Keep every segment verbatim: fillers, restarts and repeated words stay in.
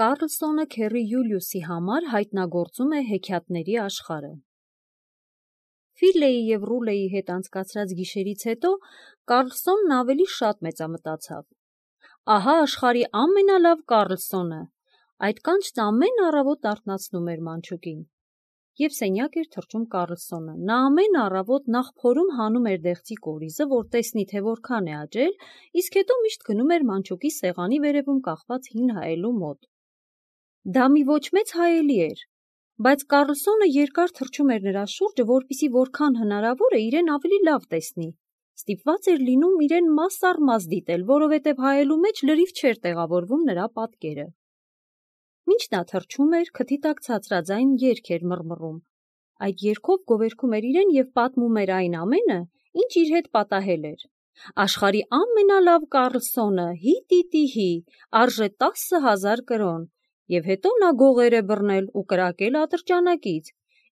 Կարլսոնը քեռի Յուլիուսի համար հայտնագործում է հեքիաթների աշխարհը։ Ֆիլեի և Ռուլեի հետ անցկացրած գիշերից հետո Կարլսոնն ավելի շատ մեծամտացավ։ Ահա աշխարհի ամենալավ Կարլսոնը, այդ կանչն ամեն առավոտ արթնացնում էր մանչուկին։ Եվ սենյակ էր թռչում Կարլսոնը, նա ամեն առավոտ նախ փորում հանում էր դեղցի կորիզը, որ տեսնի, թե որքան է աճել, իսկ հետո միշտ գնում էր մանչուկի սեղանի վերևում կախված հին հայելու մոտ։ Դա մի ոչ մեծ հայելի էր, բայց Կարլսոնը երկար թռչում էր նրա շուրջը, որպեսզի որքան հնարավոր է իրեն ավելի լավ տեսնի։ Ստիպված էր լինում իրեն մաս առ մաս դիտել, որովհետև հայելու մեջ լրիվ չէր տեղավորվում նրա պատկերը։ Մինչ նա թռչում էր, քթի տակ ցածրաձայն երգ էր մռմռում։ Այդ երգով գովերգում էր իրեն և պատմում էր այն ամենը, ինչ իր հետ պատահել էր։ Աշխարհի ամենալավ Կարլսոնը, հի՛-տի՛տի՛հի, արժե տասը հազար կրոն, և հետո նա գողեր է բռնել ու կրակել ատրճանակից։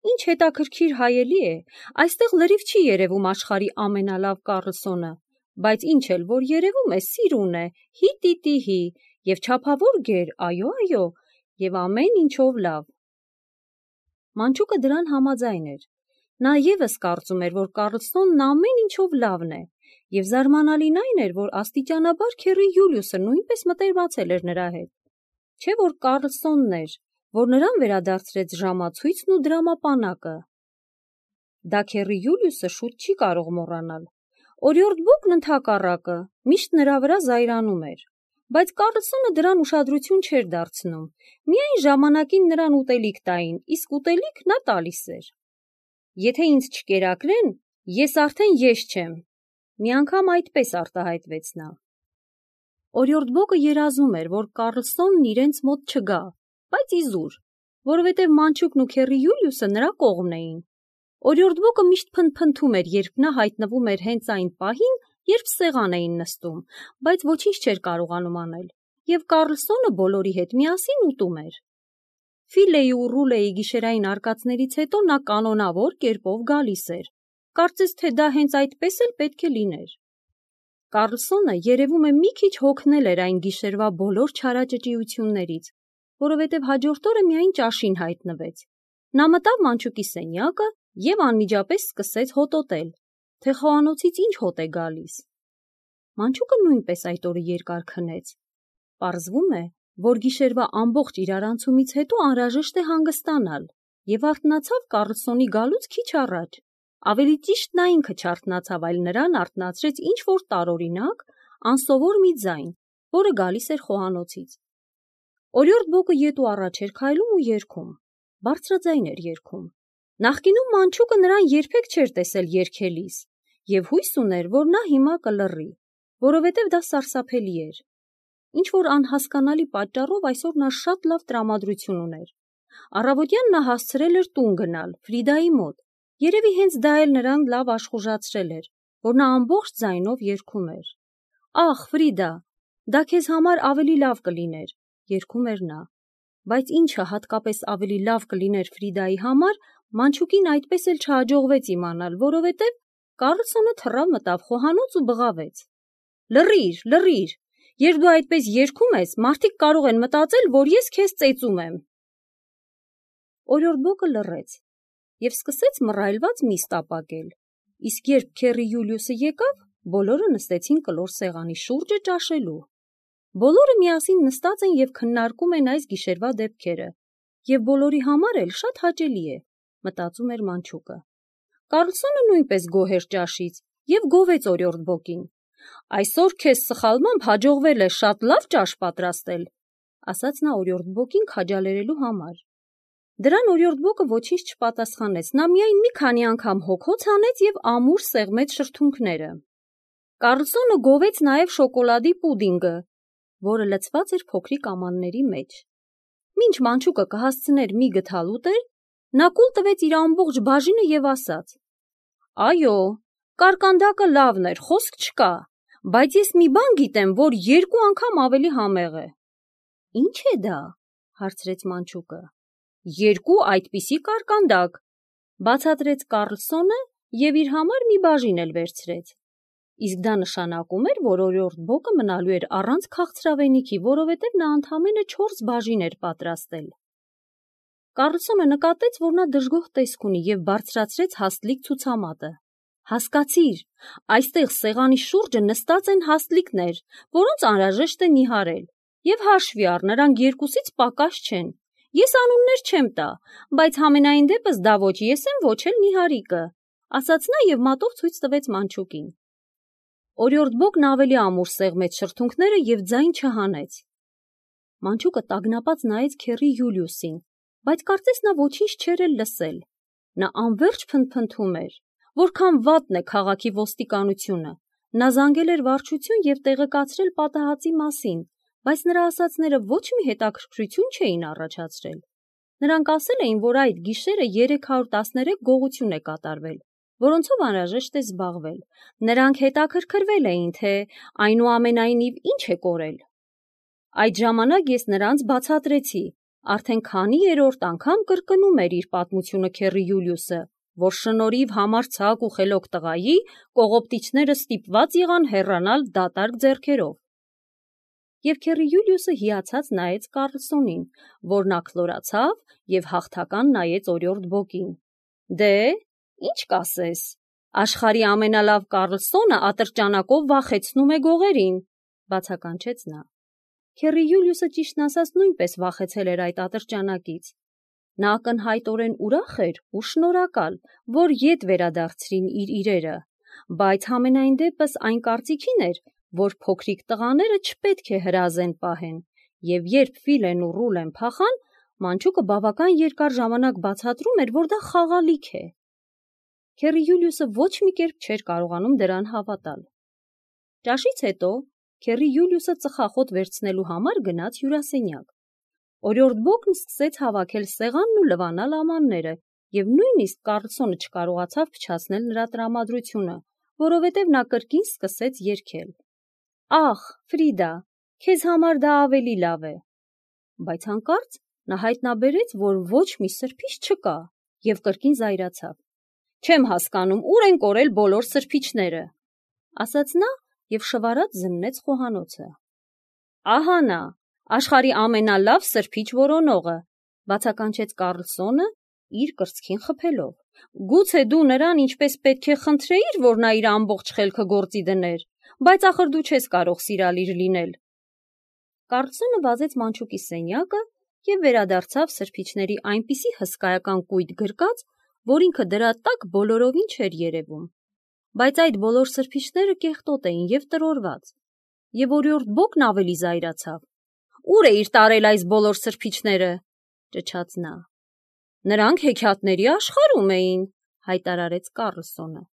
Ինչ հետաքրքիր հայելի է, այստեղ լրիվ չի երևում աշխարհի ամենալավ Կարլսոնը, բայց ինչ էլ որ երևում է, սիրուն է, հի՛-տի՛տի՛հի, և չափավոր գեր, այո, այո, և ամեն ինչով լավ։ Մանչուկը դրան համաձայն էր։ Նա ևս կարծում էր, որ Կարլսոնն ամեն ինչով լավն է, և զարմանալին այն էր, որ աստիճանաբար քեռի Յուլիուսը նույնպես մտերմացել էր նրա հետ։ Չէ՞ որ Կարլսոնն էր, որ նրան վերադարձրեց ժամացույցն ու դրամապանակը։ Դա քեռի Յուլիուսը շուտ չի կարող մոռանալ։ Օրիորդ Բոկն ընդհակառակը միշտ նրա վրա զայրանում էր, բայց Կարլսոնը դրան ուշադրություն չէր դարձնում, միայն ժամանակին նրան ուտելիք տային, իսկ ուտելիք նա տալիս էր։ Եթե ինձ չկերակրեն, ես արդեն ես չեմ, մի անգամ այդպես արտահայտվեց նա։ Օրիորդ Բոկը երազում էր, որ Կարլսոնն իրենց մոտ չգա, բայց իզուր, որովհետև մանչուկն ու քեռի Յուլիուսը նրա կողմն էին։ Օրիորդ Բոկը միշտ փնթփնթում էր, երբ նա հայտնվում էր հենց այն պահին, երբ սեղան էին նստում, բայց ոչինչ չէր կարողանում անել, և Կարլսոնը բոլորի հետ միասին ուտում էր։ Ֆիլեի ու Ռուլեի գիշերային արկածներից հետո նա կանոնավոր կերպով գալիս էր, կարծես թե դա հենց այդպես էլ պետք է լիներ։ Կարլսոնը երևում է մի քիչ հոգնել էր այն գիշերվա բոլոր չարաճճիություններից, որովհետև հաջորդ օրը միայն ճաշին հայտնվեց։ Նա մտավ մանչուկի սենյակը և անմիջապես սկսեց հոտոտել, թե խոհանոցից ինչ հոտ է գալիս։ Մանչուկը նույնպես այդ օրը երկար քնեց։ Պարզվում է, որ գիշերվա ամբողջ իրարանցումից հետո անհրաժեշտ է հանգստանալ, և արթնացավ Կարլսոնի գալուց քիչ առաջ։ Ավելի ճիշտ նա ինքը չարթնացավ, այլ նրան արթնացրեց ինչ-որ տարօրինակ, անսովոր մի ձայն, որը գալիս էր խոհանոցից։ Օրիորդ Բոկը ետ ու առաջ էր քայլում ու երգում, բարձրաձայն էր երգում։ Նախկինում մանչուկը նրան երբեք չէր տեսել երգելիս, և հույս ուներ, որ նա հիմա կլռի, որովհետև դա սարսափելի էր։ Ինչ-որ անհասկանալի պատճառով այսօր նա շատ լավ տրամադրություն ուներ։ Առավոտյան նա հասցրել էր տուն գնալ, Ֆրիդայի մոտ, երևի հենց դա էլ նրան լավ աշխուժացրել էր, որ նա ամբողջ ձայնով երգում էր։ «Ախ, Ֆրիդա, դա քեզ համար ավելի լավ կլիներ», երգում էր նա։ Բայց ինչը հատկապես ավելի լավ կլիներ Ֆրիդայի համար, մանչուկին այդպես էլ չհաջողվեց իմանալ, որովհետև Կարլսոնը թռավ մտավ խոհանոց ու բղավեց. «Լռի՛ր, լռի՛ր, երբ դու այդպես երգում ես, մարդիկ կարող են մտածել, որ ես քեզ ծեծում եմ»։ Օրիորդ Բոկը լռեց և սկսեց մռայլված միս տապակել, իսկ երբ քեռի Յուլիուսը եկավ, բոլորը նստեցին կլոր սեղանի շուրջը ճաշելու։ Բոլորը միասին նստած են և քննարկում են այս գիշերվա դեպքերը, և բոլորի համար էլ շատ հաճելի է, մտածում էր մանչուկը։ Կարլսոնը նույնպես գոհ էր ճաշից և գովեց օրիորդ Բոկին։ «Այսօր քեզ սխալմամբ հաջողվել է շատ լավ ճաշ պատրաստել», ասաց նա օրիորդ Բոկին քաջալերելու համար։ Դրան օրիորդ Բոկը ոչինչ չպատասխանեց, նա միայն մի քանի անգամ հոգոց հանեց և ամուր սեղմեց շրթունքները։ Կարլսոնը գովեց նաև շոկոլադի պուդինգը, որը լցված էր փոքրիկ ամանների մեջ։ Մինչ մանչուկը կհասցներ մի գդալ ուտել, նա կուլ տվեց իր ամբողջ բաժինը և ասաց. «Այո, կարկանդակը լավն էր, խոսք չկա, բայց ես մի բան գիտեմ, որ երկու անգամ ավելի համեղ է»։ «Ի՞նչ է դա», հարցրեց մանչուկը։ «Երկու այդպիսի կարկանդակ», բացատրեց Կարլսոնը և իր համար մի բաժին էլ վերցրեց։ Իսկ դա նշանակում էր, որ օրիորդ Բոկը մնալու էր առանց քաղցրավենիքի, որովհետև նա ընդամենը չորս բաժին էր պատրաստել։ Կառլսոնը նկատեց, որ նա դժգոհ տեսք ունի և բարձրացրեց հաստլիկ ցուցամատը։ Հասկացիր, այստեղ սեղանի շուրջը նստած են հաստլիկներ, որոնց անհրաժեշտ է նիհարել, և հաշվի առ, նրանք երկուսից պակաս չեն։ Ես անուններ չեմ տա, բայց համենայն դեպս դա ոչ ես եմ, ոչ էլ նիհարիկը, ասաց նա և մատով ցույց տվեց մանչուկին։ Օրիորդ Բոկն ավելի ամուր սեղմեց շրթունքները և ձայն չհանեց։ Մանչուկը տագնապած նայեց քեռի Յուլիուսին, բայց կարծես նա ոչինչ չէր էլ լսել։ Նա անվերջ փնթփնթում էր, որքան վատն է քաղաքի ոստիկանությունը։ Նա զանգել էր վարչություն և տեղեկացրել պատահածի մասին, բայց նրա ասածները ոչ մի հետաքրքրություն չէին առաջացրել։ Նրանք ասել էին, որ այդ գիշերը երեք հարյուր տասներեք գողություն է կատարվել, որոնցով անհրաժեշտ է զբաղվել։ Նրանք հետաքրքրվել էին, թե այնուամենայնիվ ինչ է կորել։ Այդ ժամանակ ես նրանց բացատրեցի, արդեն քանի երրորդ անգամ կրկնում էր իր պատմությունը քեռի Յուլիուսը, որ շնորհիվ համարձակ ու խելոք տղայի կողոպտիչները ստիպված եղան հեռանալ դատարկ ձեռքերով։ Եվ քեռի Յուլիուսը հիացած նայեց Կառլսոնին, որ նա քլորացավ և հաղթական նայեց օրիորդ Բոկին։ Դե, ինչ կասես, աշխարհի ամենալավ Կառլսոնը ատրճանակով վախեցնում է գողերին, բացականչեց նա։ Քեռի Յուլիուսը ճիշտն ասած նույնպես վախեցել էր այդ ատրճանակից։ Նա ակնհայտորեն ուրախ էր ու շնորհակալ, որ ետ վերադարձրին իր իրերը, բայց համենայն դեպս այն կարծիքին էր, որ փոքրիկ տղաները չպետք է հրազեն պահեն, և երբ Ֆիլեն ու Ռուլեն փախան, մանչուկը բավական երկար ժամանակ բացատրում էր, որ դա խաղալիք է։ Քեռի Յուլիուսը ոչ մի կերպ չէր կարողանում դրան հավատալ։ Ճաշից հետո քեռի Յուլիուսը ծխախոտ վերցնելու համար գնաց հյուրասենյակ։ Օրիորդ Բոկն սկսեց հավաքել սեղանն ու լվանալ ամանները, և նույնիսկ Կառլսոնը չկարողացավ փչացնել նրա տրամադրությունը, որովհետև նա կրկին սկսեց երգել. «Ախ, Ֆրիդա, քեզ համար դա ավելի լավ է»։ Բայց հանկարծ նա հայտնաբերեց, որ ոչ մի սրբիչ չկա, և կրկին զայրացավ։ «Չեմ հասկանում, ուր են կորել բոլոր սրբիչները», ասաց նա և շվարած զննեց խոհանոցը։ «Ահա նա, աշխարհի ամենալավ սրբիչ որոնողը», բացականչեց Կառլսոնը իր կրծքին խփելով։ «Գուցե դու նրան ինչպես պետք է խնդրեիր, որ նա իր ամբողջ խելքը գործի դներ, բայց ախր դու չես կարող սիրալիր լինել»։ Կառլսոնը վազեց մանչուկի սենյակը և վերադարձավ սրբիչների այնպիսի հսկայական կույտ գրկած, որ ինքը դրա տակ բոլորովին չէր երևում։ Բայց այդ բոլոր սրբիչները կեղտոտ էին և տրորված, և օրիորդ Բոկն ավելի զայրացավ։ «Ո՞ւր էիր տարել այս բոլոր սրբիչները», ճչաց նա։ «Նրանք հեքիաթների աշխարհում էին», հայտարարեց Կառլսոնը։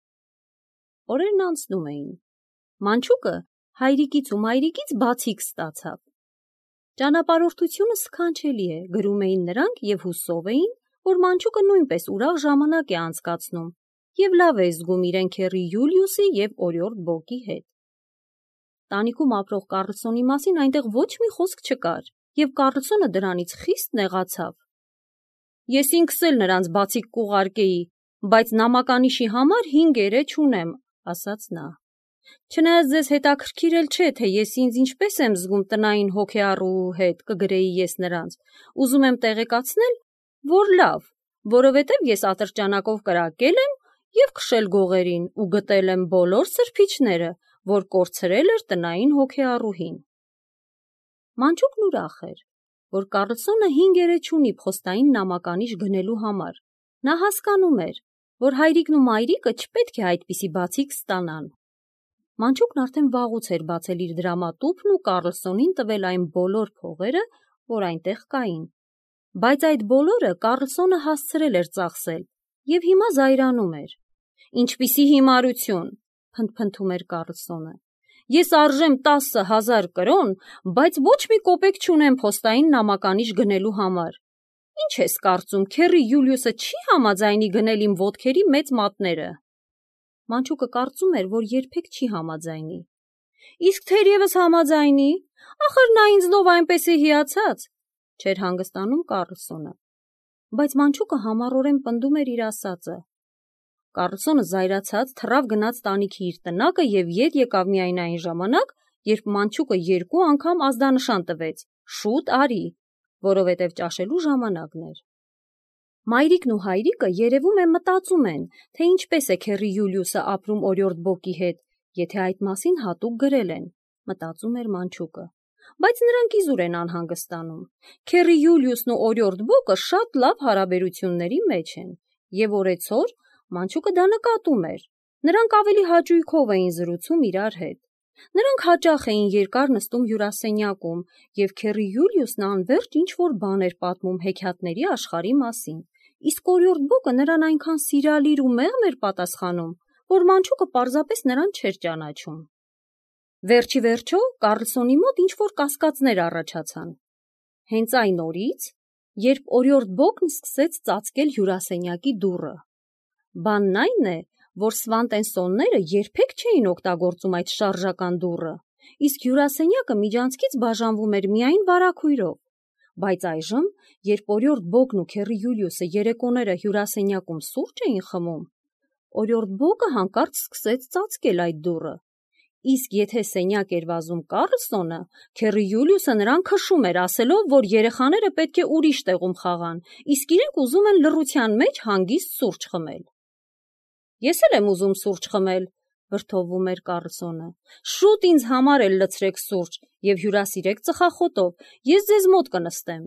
Օրերն անցնում էին։ Մանչուկը հայրիկից ու մայրիկից բացիկ ստացավ։ «Ճանապարհորդությունը սքանչելի է», գրում էին նրանք և հուսով էին, որ մանչուկը նույնպես ուրախ ժամանակ է անցկացնում և լավ է զգում իրեն քեռի Յուլիուսի և օրիորդ Բոկի հետ։ Տանիքում ապրող Կառլսոնի մասին այնտեղ ոչ մի խոսք չկար, և Կառլսոնը դրանից խիստ նեղացավ։ «Ես ինքս էլ նրանց բացիկ կուղարկեի, բայց նամականիշի համար հինգ էրե չունեմ», ասաց նա։ «Չնայած ձեզ հետաքրքիր էլ չէ, թե ես ինձ ինչպես եմ զգում տնային հոգեառուու հետ, կգրեի ես նրանց, ուզում եմ տեղեկացնել, որ լավ, որովհետև ես ատրճանակով կրակել եմ և քշել գողերին ու գտել եմ բոլոր սրբիչները, որ կորցրել էր տնային հոգեառուհին»։ Մանչուկն ուրախ էր, որ Կառլսոնը հինգ էրե չունի փոստային նամականիշ գնելու համար։ Նա հասկանում էր, որ հայրիկն ու մայրիկը չպետք է այդպիսի բացիկ ստանան։ Մանչուկն արդեն վաղուց էր բացել իր դրամատուփն ու Կառլսոնին տվել այն բոլոր փողերը, որ այնտեղ կային։ Բայց այդ բոլորը Կառլսոնը հասցրել էր ծախսել և հիմա զայրանում էր։ «Ինչպիսի հիմարություն», փնթփնթում էր Կառլսոնը։ «Ես արժեմ տասը հազար կրոն, բայց ոչ մի կոպեկ չունեմ փոստային նամականիշ գնելու համար։ Ինչ ես կարծում, քեռի Յուլիուսը չի համաձայնի գնել իմ ոտքերի մեծ մատները»։ Մանչուկը կարծում էր, որ երբեք չի համաձայնի։ «Իսկ թերևս համաձայնի, ախր նա ինձնով այնպես է հիացած», չէր հանգստանում Կառլսոնը։ Բայց մանչուկը համառորեն պնդում էր իր ասածը։ Կառլսոնը զայրացած թռավ գնաց տանիքի իր տնակը և ետ եկավ միայն այն ժամանակ, երբ մանչուկը երկու անգամ ազդանշան տվեց. «Շուտ արի», որովհետև ճաշելու ժամանակն էր։ Մայրիկն ու հայրիկը երևում է մտածում են, թե ինչպես է քեռի Յուլիուսը ապրում օրիորդ Բոկի հետ, եթե այդ մասին հատուկ գրել են, մտածում էր մանչուկը։ Բայց նրանք իզուր են անհանգստանում։ Քեռի Յուլիուսն ու օրիորդ Բոկը շատ լավ հարաբերությունների մեջ են, և օրեցօր մանչուկը դա նկատում էր։ Նրանք ավելի հաճույքով էին զրուցում իրար հետ։ Նրանք հաճախ էին երկար նստում հյուրասենյակում, և քեռի Յուլիուսն անվերջ ինչ-որ բան էր պատմում հեքիաթների աշխարհի մասին, իսկ օրիորդ Բոկը նրան այնքան սիրալիր ու մեղմ էր պատասխանում, որ մանչուկը պարզապես նրան չէր ճանաչում։ Վերջի վերջո Կառլսոնի մոտ ինչ-որ կասկածներ առաջացան։ Հենց այն օրից, երբ օրիորդ Բոկն սկսեց ծածկել հյուրասենյակի դուռը։ Բանն այն է, որ Սվանտենսոնները երբեք չէին օգտագործում այդ շարժական դուռը, իսկ հյուրասենյակը միջանցքից բաժանվում էր միայն վարագույրով։ Բայց այժմ, երբ օրիորդ Բոկն ու քեռի Յուլիուսը երեկոները հյուրասենյակում սուրճ էին խմում, օրիորդ Բոկը հանկարծ սկսեց ծածկել այդ դուռը, իսկ եթե սենյակ էր վազում Կառլսոնը, քեռի Յուլիուսը նրան քշում էր, ասելով, որ երեխաները պետք է ուրիշ տեղում խաղան, իսկ իրենք ուզում են լռության մեջ հանգիստ սուրճ խմել։ Ես էլ եմ ուզում սուրճ խմել, վրդովվում էր Կառլսոնը։ Շուտ ինձ համար էլ լցրեք սուրճ և հյուրասիրեք ծխախոտով, ես ձեզ մոտ կնստեմ։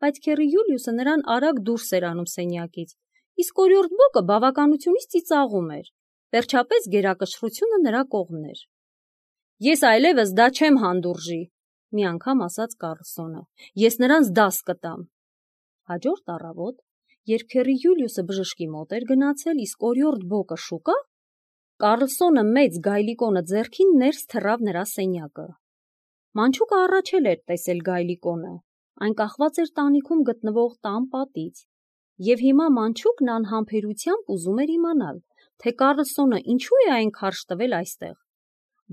Բայց քեռի Յուլիուսը նրան արագ դուրս էր անում սենյակից, իսկ օրիորդ Բոկը բավականությունից ծիծաղում էր։ Վերջապես գերակշռությունը նրա կողմն էր։ Ես այլևս դա չեմ հանդուրժի, մի անգամ ասաց Կառլսոնը։ Ես նրանց դաս կտամ։ Հաջորդ առավոտ, երբ քեռի Յուլիուսը բժշկի մոտ էր գնացել, իսկ օրիորդ Բոկը շուկա, Կառլսոնը մեծ գայլիկոնը ձեռքին ներս թռավ նրա սենյակը։ Մանչուկը առաջել էր տեսել գայլիկոնը, այն կախված էր տանիքում գտնվող տան պատից, և հիմա մանչուկն անհամբերությամբ ուզում էր իմանալ, թե Կառլսոնը ինչու է այն քարշ տվել այստեղ։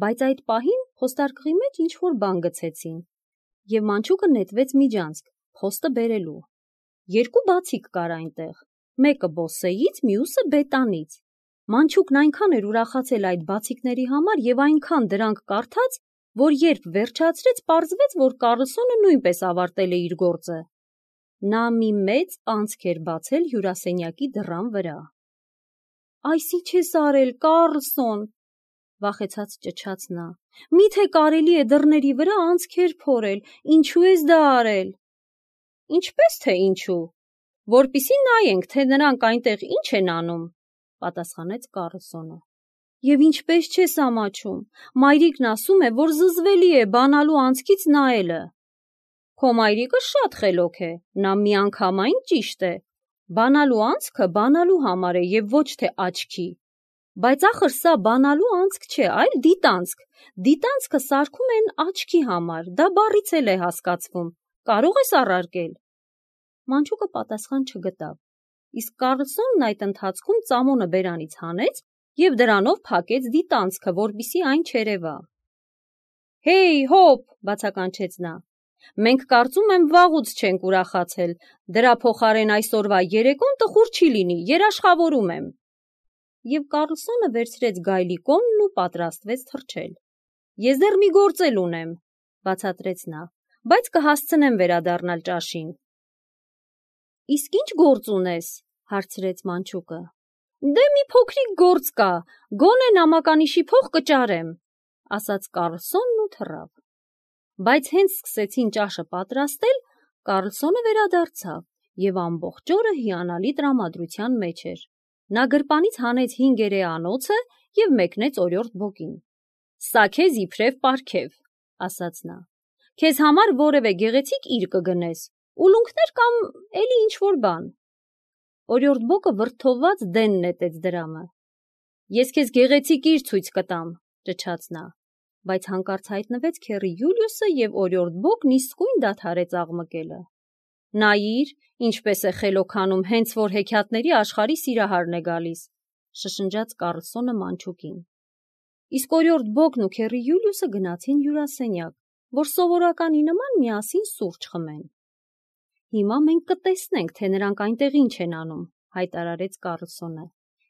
Բայց այդ պահին փոստարկղի մեջ ինչ-որ բան գցեցին, և մանչուկը նետվեց միջանցք, փոստը բերելու։ Երկու բացիկ կար այնտեղ, մեկը Բոսեից, մյուսը Բետանից։ Մանչուկն այնքան էր ուրախացել այդ բացիկների համար և այնքան դրանք կարդաց, որ երբ վերջացրեց, պարզվեց, որ Կառլսոնը նույնպես ավարտել է իր գործը։ Նա մի մեծ անցք էր բացել հյուրասենյակի դռան վրա։ «Այս ի՞նչ ես արել, Կառլսոն», վախեցած ճչաց նա։ «Մի՞թե կարելի է դռների վրա անցքեր փորել, ինչու ես դա արել»։ «Ինչպես թե ինչու, որպեսզի նայենք, թե նրանք այնտեղ ինչ են անում», պատասխանեց Կառլսոնը։ «Եվ ինչպես չես ամաչում, մայրիկն ասում է, որ զզվելի է բանալու անցքից նայելը»։ «Քո մայրիկը շատ խելոք է, նա միանգամայն ճիշտ է, բանալու անցքը բանալու համար է և ոչ թե աչքի։ Բայց ախր սա բանալու անցք չէ, այլ դիտանցք, դիտանցքը սարքում են աչքի համար, դա բառից էլ է հասկացվում, կարող ես առարկել»։ Մանչուկը պատասխան չգտավ, իսկ Կառլսոնն այդ ընթացքում ծամոնը բերանից հանեց և դրանով փակեց դիտանցքը, որպեսզի այն չերևա։ «Հեյ, հոպ», բացականչեց նա, «մենք կարծում եմ վաղուց չենք ուրախացել, դրա փոխարեն այսօրվա երեկոն տխուր չի լինի, երաշխավորում եմ»։ Եվ Կառլսոնը վերցրեց գայլիկոնն ու պատրաստվեց թռչել։ «Ես դեռ մի գործ էլ ունեմ», բացատրեց նա, «բայց կհասցնեմ վերադառնալ ճաշին»։ «Իսկ ի՞նչ գործ ունես», հարցրեց մանչուկը։ «Դե մի փոքրիկ գործ կա, գոնե նամականիշի փող կճարեմ», ասաց Կառլսոնն ու թռավ։ Բայց հենց սկսեցին ճաշը պատրաստել, Կառլսոնը վերադարձավ և ամբողջ օրը հիանալի տրամադրության մեջ էր։ Նա գրպանից հանեց հինգերե անոցը և մեկնեց օրիորդ Բոկին։ «Սա քեզ իբրև պարգև», ասաց նա։ «Քեզ համար որևէ գեղեցիկ իր կգնես, ուլունքներ կամ էլի ինչ-որ բան»։ Օրիորդ Բոկը վրդովված դեն նետեց դրամը։ «Ես քեզ գեղեցիկ իր ցույց կտամ», ճչաց նա, բայց հանկարծ հայտնվեց քեռի Յուլիուսը և օրիորդ Բոկն իսկույն դադարեց աղմկելը։ «Նայիր, ինչպես է խելոքանում, հենց որ հեքիաթների աշխարհի սիրահարն է գալիս», շշնջաց Կառլսոնը մանչուկին։ Իսկ օրիորդ Բոկն ու քեռի Յուլիուսը գնացին հյուրասենյակ, որ սովորականի նման միասին սուրճ խմեն։ «Հիմա մենք կտեսնենք, թե նրանք այնտեղ ինչ են անում», հայտարարեց Կառլսոնը։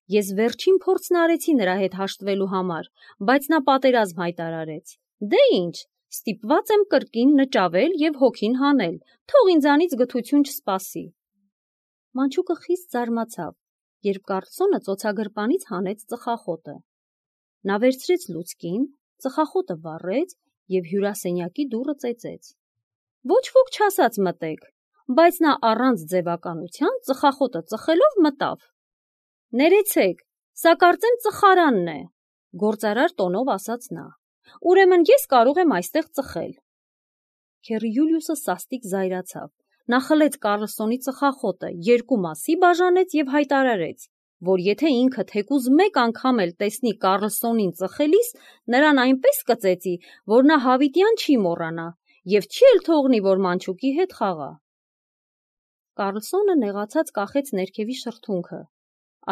Ես վերջին փորձն արեցի նրա հետ հաշտվելու համար, բայց նա պատերազմ հայտարարեց։ Դե ինչ, ստիպված եմ կրկին նճավել և հոգին հանել, թող ինձանից գթություն չսպասի։ Մանչուկը խիստ զարմացավ, երբ Կառլսոնը ծոցագրպանից հանեց ծխախոտը։ Նա վերցրեց լուցկին, ծխախոտը վառեց և հյուրասենյակի դուռը ծեծեց։ Ոչ ոք չասաց մտեք, բայց նա առանց ձևականության ծխախոտը ծխելով մտավ։ Ներեցեք, սա կարծեմ ծխարանն է, գործարար տոնով ասաց նա։ Ուրեմն ես կարող եմ այստեղ ծխել։ Քեռի Յուլիուսը սաստիկ զայրացավ։ Նա խլեց Կառլսոնի ծխախոտը, երկու մասի բաժանեց և հայտարարեց, որ եթե ինքը թեկուզ մեկ անգամ էլ տեսնի Կառլսոնին ծխելիս, նրան այնպես կծեծի, որ նա հավիտյան չի մոռանա և չի էլ թողնի, որ մանչուկի հետ խաղա։ Կառլսոնը նեղացած կախեց ներքևի շրթունքը,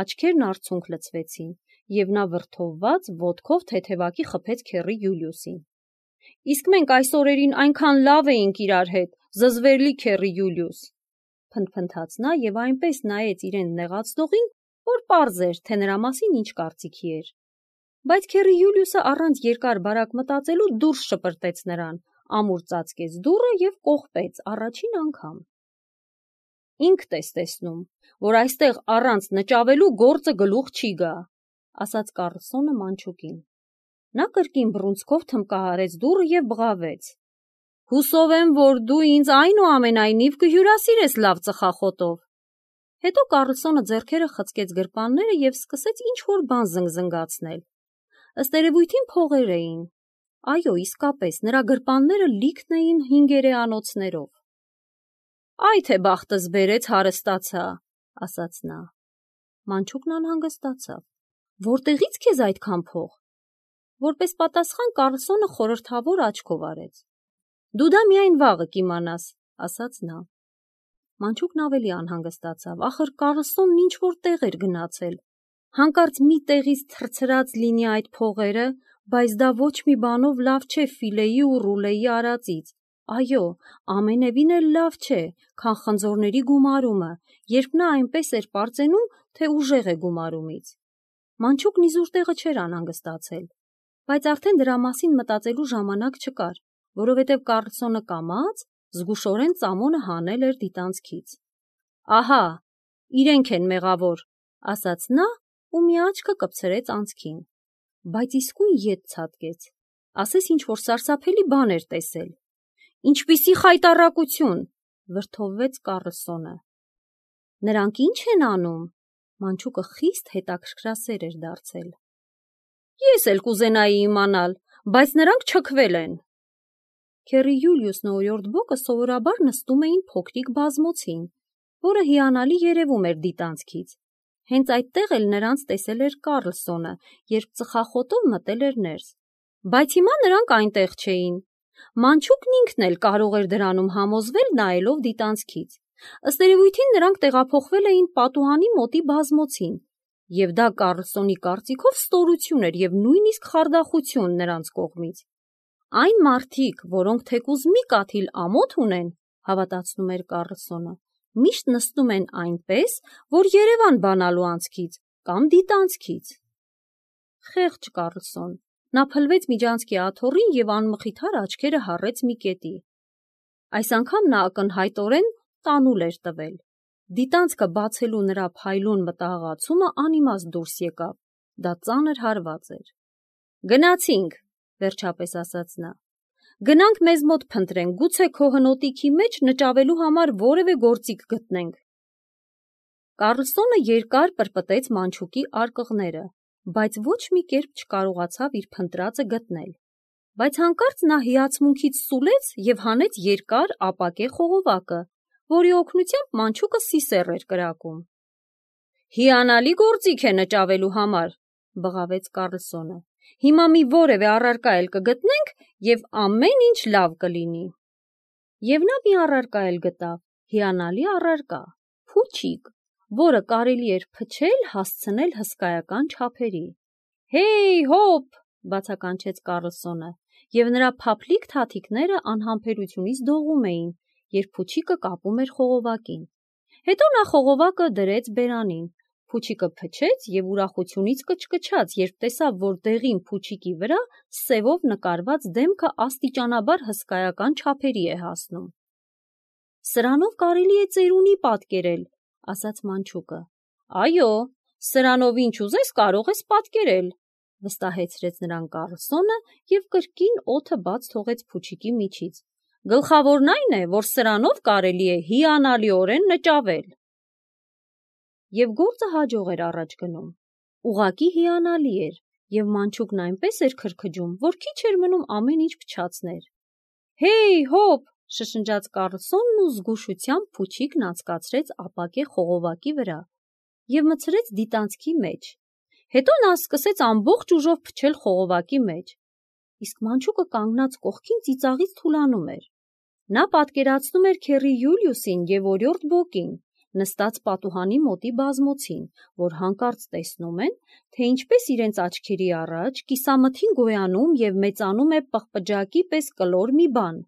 աչքերն արցունք լցվեցին, և նա վրդովված ոտքով թեթևակի խփեց քեռի Յուլիուսին։ Իսկ մենք այս օրերին այնքան լավ էինք իրար հետ, զզվելի քեռի Յուլիուս, փնթփնթաց նա և այնպես նայեց իրեն նեղացնողին, որ պարզ էր, թե նրա մասին ինչ կարծիքի էր։ Բայց քեռի Յուլիուսը առանց երկար բարակ մտածելու դուրս շպրտեց նրան, ամուր ծածկեց դուռը և կողպեց առաջին անգամ։ Ինքդ ես տեսնում, որ այստեղ առանց նճավելու գործը գլուխ չի գա, ասաց Կառլսոնը մանչուկին։ Նա կրկին բռունցքով թմկահարեց դուռը և բղավեց. Հուսով եմ, որ դու ինձ այնուամենայնիվ կհյուրասիրես լավ ծխախոտով։ Հետո Կառլսոնը ձեռքերը խցկեց գրպանները և սկսեց ինչ-որ բան զնգզնգացնել։ Ըստ երևույթին փողեր էին։ Այո, իսկապես, նրա գրպանները լիքն էին հինգերեանոցներով։ Այ թե բախտս բերեց հարստացա, ասաց նա։ Մանչուկն անհանգստացավ։ Որտեղից քեզ այդքան փող։ Որպես պատասխան Կառլսոնը խորհրդավոր աչքով արեց։ Դու դա միայն վաղը կիմանաս, ասաց նա։ Մանչուկն ավելի անհանգստացավ, ախր Կառլսոնն ինչ-որ տեղ էր գնացել։ Հանկարծ մի տեղից թռցրած լինի այդ փողերը, բայց դա ոչ մի բանով լավ չէ Ֆիլեի ու Ռուլեի արածից։ Այո, ամենևին էլ լավ չէ, քան խնձորների գումարումը, երբ նա այնպես էր պարծենում, թե ուժեղ է գումարումից։ Մանչուկն իզուր տեղը չէր անհանգստացել, բայց արդեն դրա մասին մտածելու ժամանակ չկար, որովհետև Կառլսոնը կամաց զգուշորեն ծամոնը հանել էր դիտանցքից։ Ահա, իրենք են մեղավոր, ասաց նա ու մի աչքը կպցրեց անցքին, բայց իսկույն ետ ցատկեց, ասես ինչ-որ սարսափելի բան էր տեսել։ Ինչպիսի խայտառակություն, վրդովվեց Կառլսոնը։ Նրանք ի՞նչ են անում։ Մանչուկը խիստ հետաքրքրասեր էր դարձել։ Ես էլ կուզենայի իմանալ, բայց նրանք չքվել են։ Քեռի Յուլիուսն ու օրիորդ Բոկը սովորաբար նստում էին փոքրիկ բազմոցին, որը հիանալի երևում էր դիտանցքից։ Հենց այդտեղ էլ նրանց տեսել էր Կառլսոնը, երբ ծխախոտով մտել էր ներս։ Բայց հիմա նրանք այնտեղ չէին։ Մանչուկն ինքն էլ կարող էր դրանում համոզվել նայելով դիտանցքից։ Ըստ երևույթին նրանք տեղափոխվել էին պատուհանի մոտի բազմոցին, և դա Կառլսոնի կարծիքով ստորություն էր և նույնիսկ խարդախություն նրանց կողմից։ Այն մարդիկ, որոնք թեկուզ մի կաթիլ ամոթ ունեն, հավատացնում էր Կառլսոնը, միշտ նստում են այնպես, որ երևան բանալու անցքից կամ դիտանցքից։ Խեղճ Կառլսոն, նա փլվեց միջանցքի աթոռին և անմխիթար աչքերը հառեց մի կետի։ Այս անգամ նա ակնհայտորեն տանուլ էր տվել։ Դիտանցքը բացելու նրա փայլուն մտահղացումը անիմաստ դուրս եկավ, դա ծանր հարված էր։ Գնացինք, վերջապես ասաց նա։ Գնանք մեզ մոտ փնտրենք, գուցե քո հնոտիքի մեջ նճավելու համար որևէ գործիք գտնենք։ Կառլսոնը երկար պրպտեց մանչուկի արկղները, բայց ոչ մի կերպ չկարողացավ իր փնտրածը գտնել։ Բայց հանկարծ նա հիացմունքից սուլեց և հանեց երկար ապակե խողովակը, որի օգնությամբ մանչուկը սիսեռ էր կրակում։ Հիանալի գործիք է նճավելու համար, բղավեց Կառլսոնը։ Հիմա մի որևէ առարկա էլ կգտնենք և ամեն ինչ լավ կլինի։ Եվ նա մի առարկա էլ գտավ, հիանալի առարկա, փուչիկ, որը կարելի էր փչել հասցնել հսկայական չափերի։ Հեյ, հոպ, բացականչեց Կառլսոնը, և նրա փափլիկ թաթիկները անհամբերությունից դողում էին, երբ փուչիկը կապում էր խողովակին։ Հետո նա խողովակը դրեց բերանին, Փուչիկը փչեց և ուրախությունից կչկչաց, երբ տեսավ, որ դեղին փուչիկի վրա սևով նկարված դեմքը աստիճանաբար հսկայական չափերի է հասնում։ Սրանով կարելի է ծերունի պատկերել, ասաց մանչուկը։ Այո, սրանով ինչ ուզես կարող ես պատկերել, վստահեցրեց նրան Կառլսոնը և կրկին օդը բաց թողեց փուչիկի միջից։ Գլխավորն այն է, որ սրանով կարելի է հիանալիորեն նճավել։ Եվ գործը հաջող էր առաջ գնում։ Ուղղակի հիանալի էր, և մանչուկն այնպես էր քրքջում, որ քիչ էր մնում ամեն ինչ փչացներ։ Հեյ, հոպ, շշնջաց Կառլսոնն ու զգուշությամբ փուչիկն անցկացրեց ապակե խողովակի վրա և մտցրեց դիտանցքի մեջ։ Հետո նա սկսեց ամբողջ ուժով փչել խողովակի մեջ, իսկ մանչուկը կանգնած կողքին ծիծաղից թուլանում էր։ Նա պատկերացնում էր քեռի Յուլիուսին և օրիորդ Բոկին, նստած պատուհանի մոտի բազմոցին, որ հանկարծ տեսնում են, թե ինչպես իրենց աչքերի առաջ կիսամթին գոյանում և մեծանում է պղպջակի պես կլոր մի բան,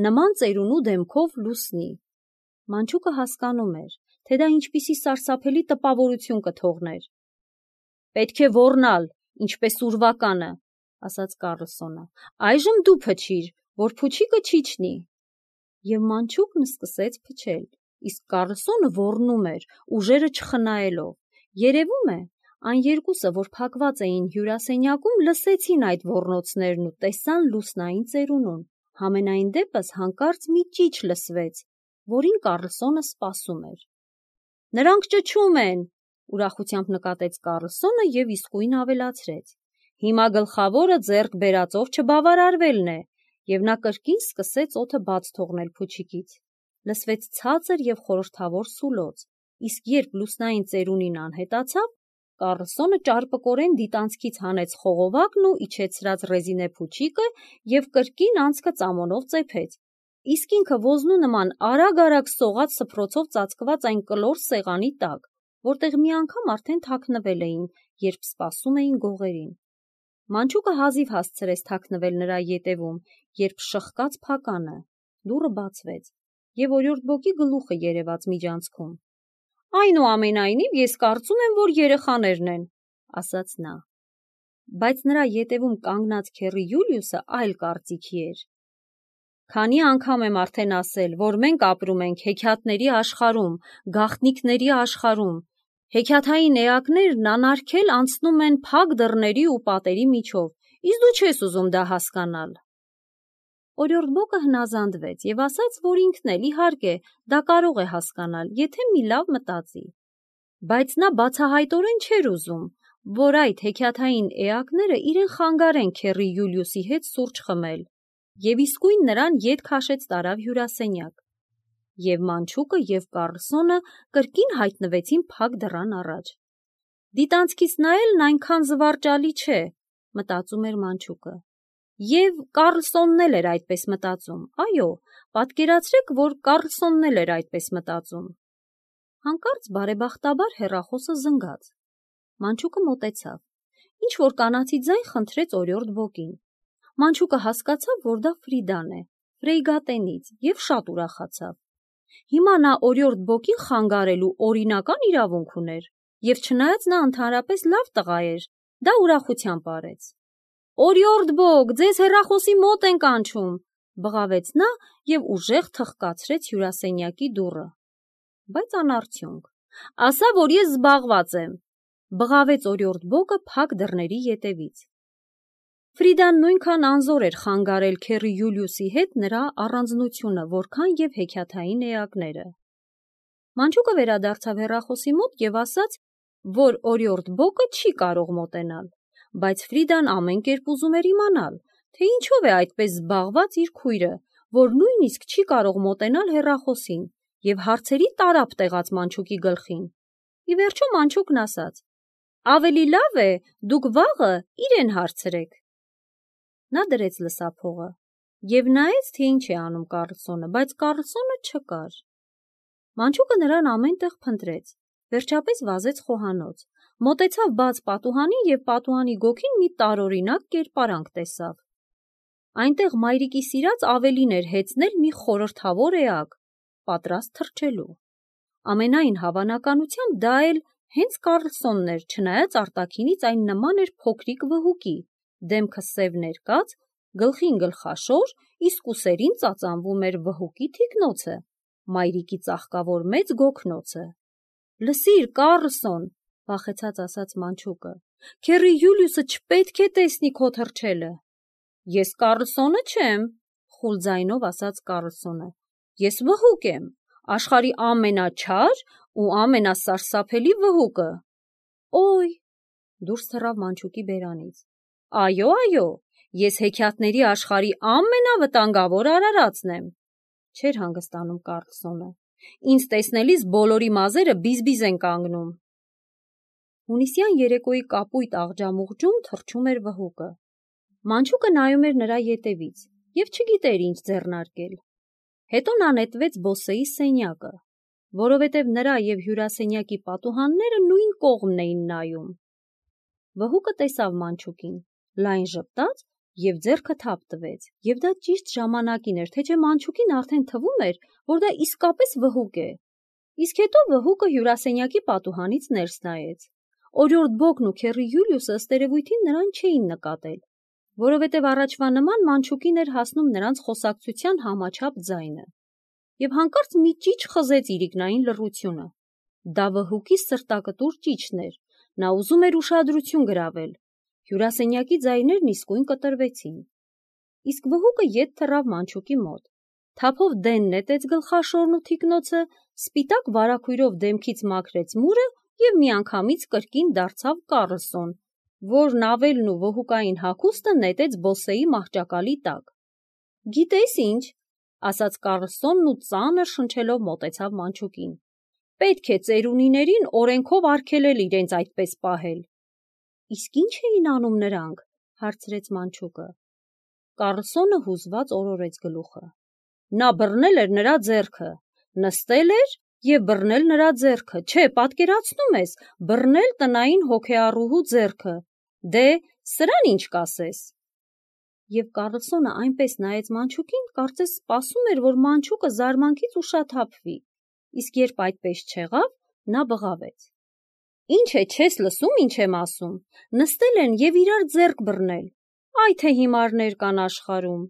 նման ծերունու դեմքով լուսնի։ Մանչուկը հասկանում էր, թե դա ինչպիսի սարսափելի տպավորություն կթողներ։ Պետք է ոռնալ, ինչպես ուրվականը, ասաց Կառլսոնը։ Այժմ դու փչիր, որ փուչիկը չիջնի։ Եվ մանչուկն սկսեց փչել, իսկ Կառլսոնը ոռնում էր, ուժերը չխնայելով։ Երևում է, այն երկուսը, որ փակված էին հյուրասենյակում, լսեցին այդ ոռնոցներն ու տեսան լուսնային ծերունուն։ Համենայն դեպս հանկարծ մի ճիչ լսվեց, որին Կառլսոնը սպասում էր։ Նրանք ճչում են, ուրախությամբ նկատեց Կառլսոնը և իսկույն ավելացրեց. Հիմա գլխավորը ձեռք բերածով չբավարարվելն է, և նա կրկին սկսեց օդը բաց թողնել փուչիկից։ Լսվեց ցածր և խորհրդավոր սուլոց, իսկ երբ լուսնային ծերունին անհետացավ, Կառլսոնը ճարպկորեն դիտանցքից հանեց խողովակն ու իջեցրած ռեզինե փուչիկը և կրկին անցքը ծամոնով ծեփեց, իսկ ինքը ոզնու նման արագ-արագ սողաց սփռոցով ծածկված այն կլոր սեղանի տակ, որտեղ մի անգամ արդեն թաքնվել էին, երբ սպասում էին գողերին։ Մանչուկը հազիվ հասցրեց թաքնվել նրա ետևում, երբ շխկաց փականը, դուռը բացվեց, և օրիորդ Բոկի գլուխը երևաց միջանցքում։ Այնուամենայնիվ, ես կարծում եմ, որ երեխաներն են, ասաց նա։ Բայց նրա ետևում կանգնած քեռի Յուլիուսը այլ կարծիքի էր։ Քանի անգամ եմ արդեն ասել, որ մենք ապրում ենք հեքիաթների աշխարհում, գաղտնիքների աշխարհում։ Հեքիաթային էակներն անարգել անցնում են փակ դռների ու պատերի միջով, իսկ դու չես ուզում դա հասկանալ։ Օրիորդ Բոկը հնազանդվեց և ասաց, որ ինքն էլ, իհարկե, դա կարող է հասկանալ, եթե մի լավ մտածի։ Բայց նա բացահայտորեն չէր ուզում, որ այդ հեքիաթային էակները իրեն խանգարեն քեռի Յուլիուսի հետ սուրճ խմել, և իսկույն նրան ետ քաշեց տարավ հյուրասենյակ։ Եվ մանչուկը և Կառլսոնը կրկին հայտնվեցին փակ դռան առաջ։ Դիտանցքից նայելն այնքան զվարճալի չէ, մտածում էր մանչուկը։ Եվ Կառլսոնն էլ էր այդպես մտածում։ Այո, պատկերացրեք, որ Կառլսոնն էլ էր այդպես մտածում։ Հանկարծ բարեբախտաբար հեռախոսը զնգաց։ Մանչուկը մոտեցավ։ Ինչ-որ կանացի ձայն խնդրեց օրիորդ Բոկին։ Մանչուկը հասկացավ, որ դա Ֆրիդան է, Ֆրեյգատենից, և շատ ուրախացավ։ Հիմա նա օրիորդ Բոկին խանգարելու օրինական իրավունք ուներ, և չնայած նա ընդհանրապես լավ տղա էր, դա ուրախությամբ արեց։ Օրիորդ Բոկ, ձեզ հեռախոսի մոտ են կանչում, բղավեց նա և ուժեղ թխկացրեց հյուրասենյակի դուռը։ Բայց անարդյունք։ Ասա, որ ես զբաղված եմ, բղավեց օրիորդ Բոկը փակ դռների ետևից։ Ֆրիդան նույնքան անզոր էր խանգարել քեռի Յուլիուսի հետ նրա առանձնությունը, որքան և հեքիաթային էակները։ Մանչուկը վերադարձավ հեռախոսի մոտ և ասաց, որ օրիորդ Բոկը չի կարող մոտենալ, բայց Ֆրիդան ամեն կերպ ուզում էր իմանալ, թե ինչով է այդպես զբաղված իր քույրը, որ նույնիսկ չի կարող մոտենալ հեռախոսին, և հարցերի տարափ տեղաց մանչուկի գլխին։ Ի վերջո մանչուկն ասաց. ավելի լավ է դուք վաղը իրեն հարցրեք։ Նա դրեց լսափողը և նայեց, թե ինչ է անում Կառլսոնը, բայց Կառլսոնը չկար։ Մանչուկը նրան ամեն տեղ փնտրեց, վերջապես վազեց խոհանոց, մոտեցավ բաց պատուհանին և պատուհանի գոգին մի տարօրինակ կերպարանք տեսավ։ Այնտեղ մայրիկի սիրած ավելին էր հեծնել մի խորհրդավոր էակ, պատրաստ թռչելու։ Ամենայն հավանականությամբ դա էլ Հենց Կառլսոնն էր, չնայած արտաքինից այն նման էր փոքրիկ վհուկի, դեմքը սև ներկած, գլխին գլխաշոր, իսկ ուսերին ծածանվում էր վհուկի թիկնոցը, մայրիկի ծաղկավոր մեծ գոգնոցը։ «Լսիր, Կառլսոն», վախեցած ասաց մանչուկը, «քեռի Յուլիուսը չպետք է տեսնի քո թռչելը»։ «Ես Կառլսոնը չեմ», խուլ ձայնով ասաց Կառլսոնը, «ես վհուկ եմ, աշխարհի ամենաչար ու ամենասարսափելի վհուկը»։ «Օй», դուրս թռավ մանչուկի բերանից, «այո, այո, ես հեքիաթների աշխարհի ամենավտանգավոր արարածն եմ», չէր հանգստանում Կառլսոնը, «ինձ տեսնելիս բոլորի մազերը բիզ-բիզ են կանգնում»։ Հունիսյան երեկոյի կապույտ աղջամուղջում թռչում էր վհուկը։ Մանչուկը նայում էր նրա ետևից և չգիտեր ինչ ձեռնարկել։ Հետո նա նետվեց բոսեի սենյակը, որովհետև նրա և հյուրասենյակի պատուհանները նույն կողմն էին նայում։ Վհուկը տեսավ մանչուկին, լայն ժպտաց և ձեռքը թափ տվեց, և դա ճիշտ ժամանակին էր, թե չէ մանչուկին արդեն թվում էր, որ դա իսկապես վհուկ է։ Իսկ հետո վհուկը հյուրասենյակի պատուհանից ներս նայեց։ Օրիորդ Բոգն ու քեռի Յուլիուսը ըստ երևույթին նրան չէին նկատել, որովհետև առաջվա նման մանչուկին էր հասնում նրանց խոսակցության համաչափ ձայնը։ Եվ հանկարծ մի ճիչ խզեց իրիկնային լռությունը։ Դա վհուկի սրտակտուր ճիչն էր, նա ուզում էր ուշադրություն գրավել։ Հյուրասենյակի ձայներն իսկույն կտրվեցին։ Իսկ վհուկը ետ թռավ մանչուկի մոտ, թափով դեն նետեց գլխաշորն ու թիկնոցը, սպիտակ վարագույրով դեմքից մաքրեց մուրը և միանգամից կրկին դարձավ Կառլսոն, որ նավելն ու վհուկային հագուստը նետեց բոսեի մահճակալի տակ։ «Գիտես ինչ», ասաց Կառլսոնն ու ծանր շնչելով մոտեցավ մանչուկին, «պետք է ծերունիներին օրենքով արգելել իրենց այդպես պահել»։ «Իսկ ի՞նչ էին անում նրանք», հարցրեց մանչուկը։ Կառլսոնը հուզված օրորեց գլուխը։ «Նա բռնել էր նրա ձեռքը, նստել էր և բռնել նրա ձեռքը, չէ, պատկերացնում ես, բռնել տնային հոգեառուհու ձեռքը, դե, սրան ինչ կասես»։ Եվ Կառլսոնը այնպես նայեց մանչուկին, կարծես սպասում էր, որ մանչուկը զարմանքից ուշաթափվի, իսկ երբ այդպես չեղավ, նա բղավեց. «Ինչ է, չես լսում, ինչ եմ ասում, նստել են և իրար ձեռք բռնել, այ թե հիմարներ կան աշխարհում»։